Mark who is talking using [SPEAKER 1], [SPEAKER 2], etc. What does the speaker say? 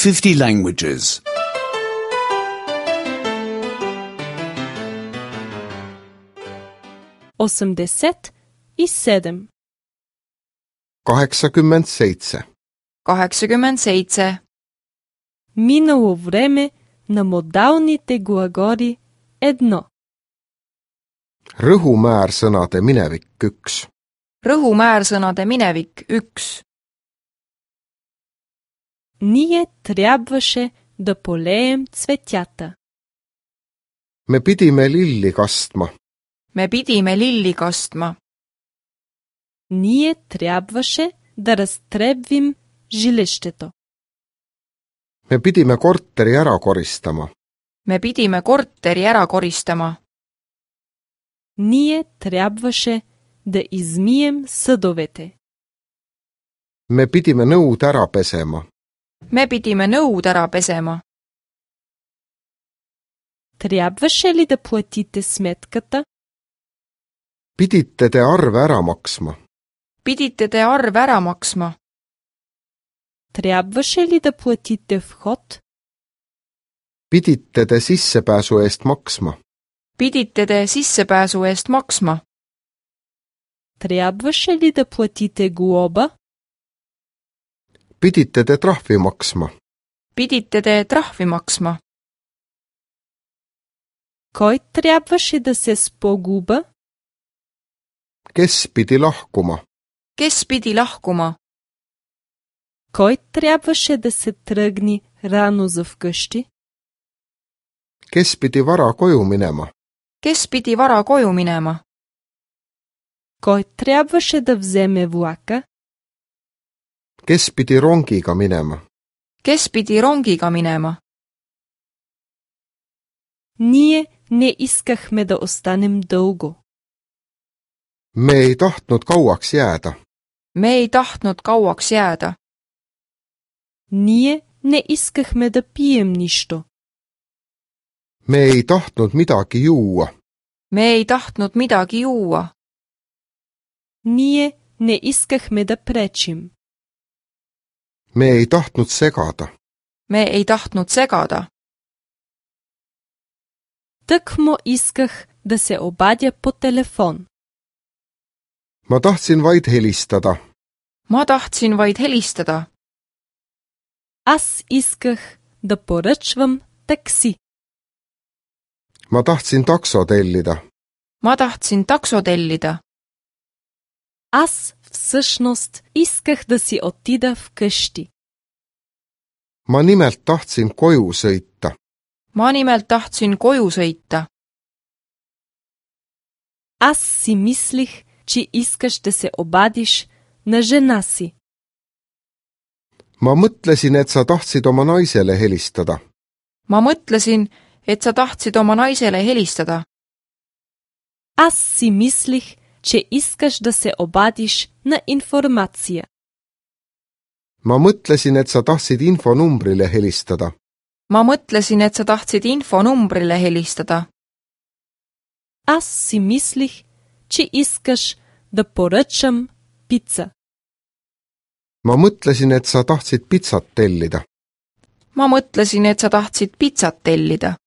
[SPEAKER 1] 50 languages.
[SPEAKER 2] 87.
[SPEAKER 3] 87.
[SPEAKER 4] 87.
[SPEAKER 2] Минало време на модалните глаголи 1.
[SPEAKER 3] Rõhumäärsõnade minevik 1.
[SPEAKER 4] Rõhumäärsõnade minevik 1.
[SPEAKER 2] Ние трябваше да полеем цветята.
[SPEAKER 3] Me pidime lilli kastma.
[SPEAKER 4] Me pidime lilli kastma.
[SPEAKER 2] Ние трябваше да разтребвим жилището.
[SPEAKER 3] Me pidime korteri ära koristama.
[SPEAKER 4] Me pidime korteri ära koristama.
[SPEAKER 2] Ние трябваше да измием съдовете.
[SPEAKER 3] Me pidime nõud ära pesema.
[SPEAKER 4] Me pidime nõud ära pesema.
[SPEAKER 2] Трябваше ли да платите сметката?
[SPEAKER 3] Pidite te arve ära maksma.
[SPEAKER 4] Pidite te arve ära maksma.
[SPEAKER 2] Трябваше ли да платите вход?
[SPEAKER 3] Pidite te sissepääsu eest maksma.
[SPEAKER 4] Pidite te sissepääsu eest maksma.
[SPEAKER 2] Трябваше ли да платите глоба?
[SPEAKER 3] Pidite te trahvi maksma.
[SPEAKER 4] Pidite te trahvi maksma.
[SPEAKER 2] Кой трябваше да се спогуба?
[SPEAKER 3] Kes pidi lahkuma?
[SPEAKER 4] Kes pidi lahkuma?
[SPEAKER 2] Кой трябваше да се тръгне рано за вкъщи?
[SPEAKER 3] Kes pidi vara koju minema?
[SPEAKER 4] Kes pidi vara koju minema?
[SPEAKER 2] Кой трябваше да вземе влака?
[SPEAKER 3] Kes pidi rongiga minema?
[SPEAKER 4] Kes pidi rongiga minema?
[SPEAKER 2] Ние не искахме да останем дълго.
[SPEAKER 3] Me ei tahtnud kauaks jääda.
[SPEAKER 4] Me ei tahtnud kauaks jääda.
[SPEAKER 2] Ние не искахме да пием нищо.
[SPEAKER 3] Me ei tahtnud midagi juua.
[SPEAKER 4] Me ei tahtnud midagi juua.
[SPEAKER 2] Ние не искахме да пречим.
[SPEAKER 3] Me ei tahtnud segada.
[SPEAKER 4] Me ei tahtnud segada.
[SPEAKER 2] Тъкмо исках да се обадя по телефон.
[SPEAKER 3] Ma tahtsin vaid helistada.
[SPEAKER 4] Ma tahtsin vaid helistada.
[SPEAKER 2] Аз исках да поръчвам такси.
[SPEAKER 3] Ma tahtsin takso tellida.
[SPEAKER 4] Ma tahtsin takso tellida.
[SPEAKER 2] Аз всъщност исках да си отида вкъщи.
[SPEAKER 3] Ma nimelt tahtsin koju sõita.
[SPEAKER 4] Ma nimelt tahtsin koju sõita.
[SPEAKER 2] Аз си мислих, че искаш да се обадиш на жена си.
[SPEAKER 3] Ma mõtlesin, et sa tahtsid oma naisele helistada.
[SPEAKER 4] Ma mõtlesin, et sa tahtsid oma naisele helistada.
[SPEAKER 2] Аз си мислих, че искаш да се обадиш на информация.
[SPEAKER 3] Ma mõtlesin, et sa tahtsid infonumbrile helistada.
[SPEAKER 4] Ma mõtlesin, et sa tahtsid infonumbrile helistada.
[SPEAKER 2] Аз си мислих, че искаш да поръчам пица.
[SPEAKER 3] Ma mõtlesin, et sa tahtsid pitsat tellida.
[SPEAKER 4] Ma mõtlesin, et sa tahtsid pitsat tellida.